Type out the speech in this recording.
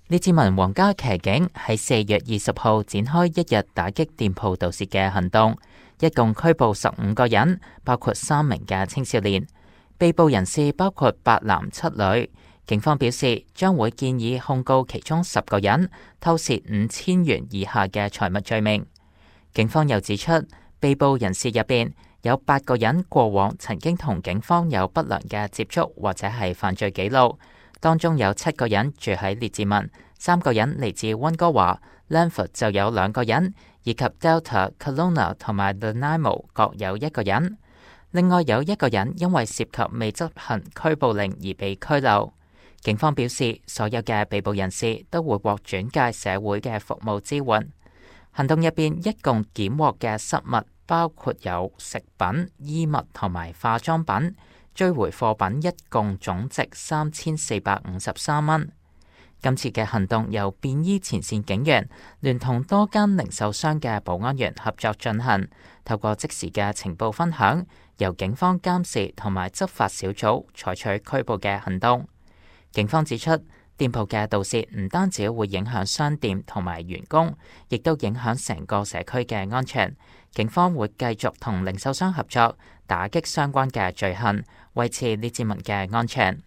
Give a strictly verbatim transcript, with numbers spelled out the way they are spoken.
列治文皇家騎警喺四月二十號展開一日打擊店鋪盜竊嘅行動，一共拘捕十五個人，包括三名嘅青少年。被捕人士包括八男七女。警方表示將會建議控告其中十個人偷竊五千元以下嘅財物罪名。警方又指出，被捕人士入邊有八個人過往曾經同警方有不良嘅接觸或者係犯罪記錄，當中有七個人住喺列治文，三個人嚟自溫哥華 Langford 就有兩個人，以及 Delta、Kelowna 同埋 Nanaimo 各有一個人。另外有一個人因為涉及未執行拘捕令而被拘留。警方表示，所有嘅被捕人士都會獲轉介社會嘅服務支援。行動入邊一共檢獲嘅失物包括有食品、衣物同埋化妝品，追回貨品一共總值三千四百五十三蚊。今次嘅行動由便衣前線警員聯同多間零售商嘅保安員合作進行，透過即時嘅情報分享，由警方監視同埋執法小組採取拘捕嘅行動。警方指出，店鋪嘅盜竊唔單止會影響商店同埋員工，亦都影響成個社區嘅安全。警方會繼續同零售商合作，打擊相關嘅罪行，維持列治文嘅安全。